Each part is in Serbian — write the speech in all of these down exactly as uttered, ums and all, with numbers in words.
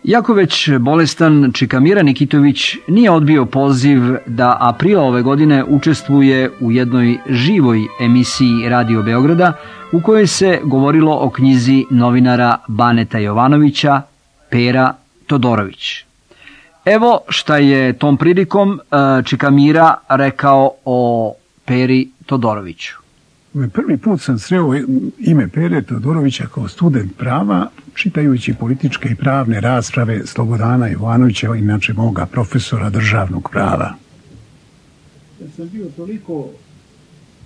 Iako već bolestan, Čikamira Nikitović nije odbio poziv da aprila ove godine učestvuje u jednoj živoj emisiji Radio Beograda u kojoj se govorilo o knjizi novinara Baneta Jovanovića Pera Todorović. Evo šta je tom prilikom Čikamira rekao o Peri Todoroviću. Prvi put sam sreo ime Pere Todorovića kao student prava, čitajući političke i pravne rasprave Slobodana Jovanovića, inače moga profesora državnog prava. Ja sam bio toliko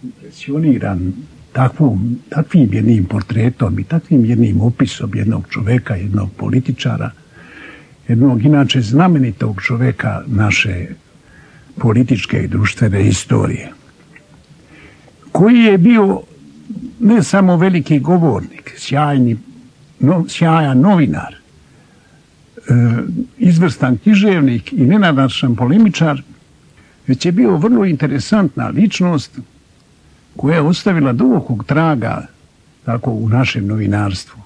impresioniran takvom, takvim jednim portretom i takvim jednim opisom jednog čoveka, jednog političara, jednog inače znamenitog čoveka naše političke i društvene istorije, koji je bio ne samo veliki govornik, sjajni, no, sjajan novinar, e, izvrstan književnik i nenadačan polemičar, već je bio vrlo interesantna ličnost koja je ostavila dubokog traga tako u našem novinarstvu.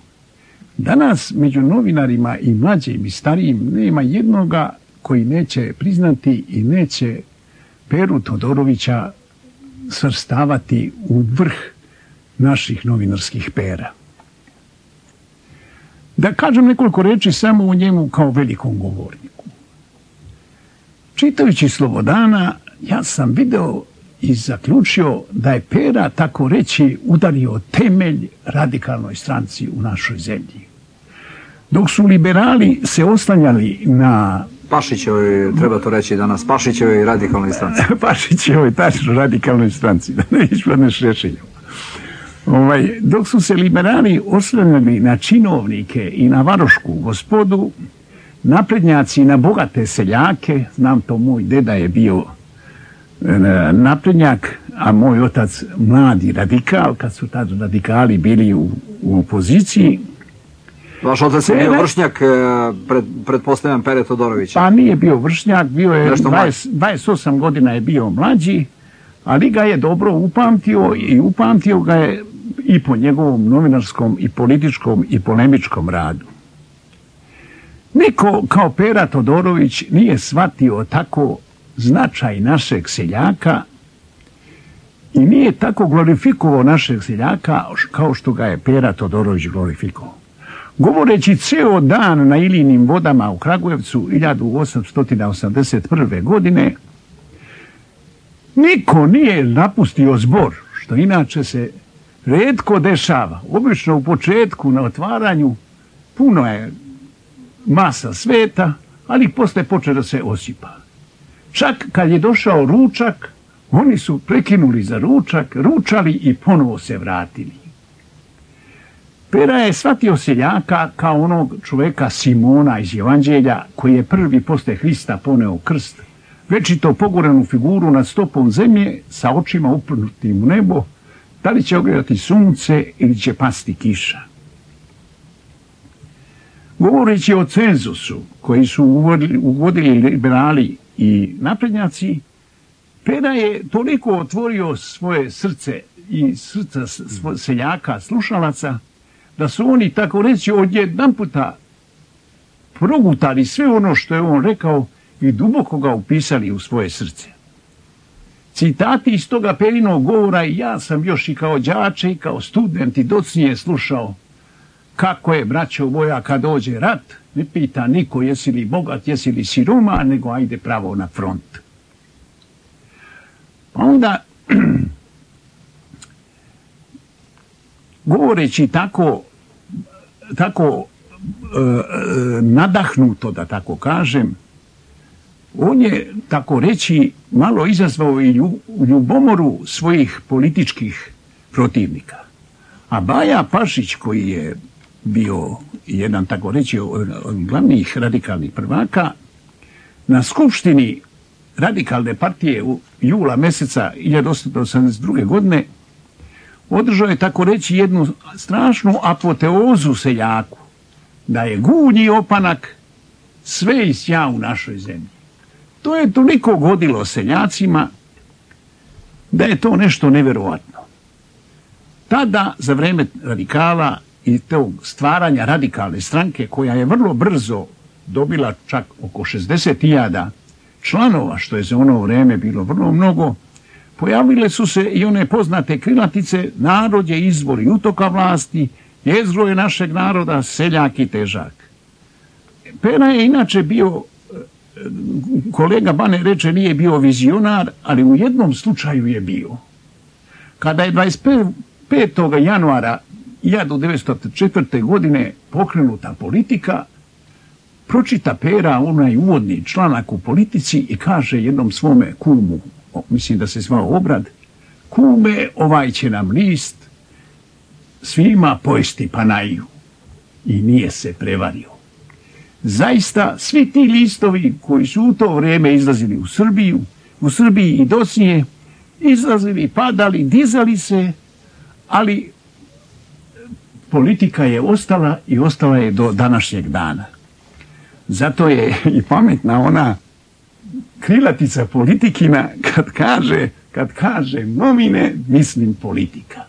Danas među novinarima i mlađim i starijim nema jednoga koji neće priznati i neće Peru Todorovića svrstavati u vrh naših novinarskih pera. Da kažem nekoliko reči samo o njemu kao velikom govorniku. Čitajući Slobodana, ja sam video i zaključio da je Pera, tako reći, udario temelj radikalnoj stranci u našoj zemlji. Dok su liberali se oslanjali na Pašićevoj, treba to reći danas, Pašićevoj radikalnoj stranci. Pašićevoj tačno radikalnoj stranci, da ne ispadneš rešenjem. Ovaj, dok su se liberali oslanjali na činovnike i na varošku gospodu, naprednjaci na bogate seljake, znam to, moj deda je bio naprednjak, a moj otac mladi radikal, kad su tad radikali bili u, u opoziciji. Vaš otac je bio vršnjak, pred, pretpostavljam, Pere Todorovića. Pa nije bio vršnjak, bio je dvadeset, dvadeset osam godina je bio mlađi, ali ga je dobro upamtio i upamtio ga je i po njegovom novinarskom i političkom i polemičkom radu. Niko kao Pera Todorović nije shvatio tako značaj našeg seljaka i nije tako glorifikovao našeg seljaka kao što ga je Pera Todorović glorifikovao. Govoreći ceo dan na Ilinim vodama u Kragujevcu hiljadu osamsto osamdeset prve. godine, niko nije napustio zbor, što inače se retko dešava. Obično u početku na otvaranju puno je masa sveta, ali posle počne da se osipa. Čak kad je došao ručak, oni su prekinuli za ručak, ručali i ponovo se vratili. Pera je shvatio seljaka kao onog čoveka Simona iz Evanđelja, koji je prvi posle Hrista poneo krst, večito pogorenu figuru nad stopom zemlje sa očima uprnutim u nebo, da li će ogledati sunce ili će pasti kiša. Govoreći o cenzusu koji su uvodili, uvodili liberali i naprednjaci, Pera je toliko otvorio svoje srce i srca seljaka, slušalaca, da su oni, tako reći, odjedan puta progutali sve ono što je on rekao i duboko ga upisali u svoje srce. Citati iz toga Perinog govora i ja sam još i kao đače i kao student i docnije slušao kako je, braćo moja, kad dođe rat, ne pita niko jesi li bogat, jesi li siroma, nego ajde pravo na front. Pa onda, govoreći tako, tako e, nadahnuto, da tako kažem, on je, tako reći, malo izazvao i ljubomoru svojih političkih protivnika. A Baja Pašić, koji je bio jedan, tako reći, od glavnih radikalnih prvaka, na skupštini radikalne partije u jula meseca hiljadu osamsto osamdeset druge. godine održao je, tako reći, jednu strašnu apoteozu seljaku, da je gunji opanak sve i sja u našoj zemlji. To je toliko godilo seljacima da je to nešto nevjerovatno. Tada, za vreme radikala i tog stvaranja radikalne stranke, koja je vrlo brzo dobila čak oko šezdeset hiljada članova, što je za ono vrijeme bilo vrlo mnogo, pojavile su se i one poznate krilatice: narod je izvor i utoka vlasti, jezgro je našeg naroda, seljak i težak. Pera je inače bio, kolega Bane reče, nije bio vizionar, ali u jednom slučaju je bio. Kada je dvadeset petog januara hiljadu devetsto četvrte. godine pokrenuta politika, pročita Pera onaj uvodni članak u Politici i kaže jednom svome kumu, mislim da se zvao Obrad: kume, ovaj će nam list svima pojesti panaju. I nije se prevario. Zaista, svi ti listovi koji su u to vrijeme izlazili u Srbiju, u Srbiji i dosnije, izlazili, padali, dizali se, ali politika je ostala i ostala je do današnjeg dana. Zato je i pametna ona krilatica Politikina kad kaže, kad kaže nomine, mislim politika.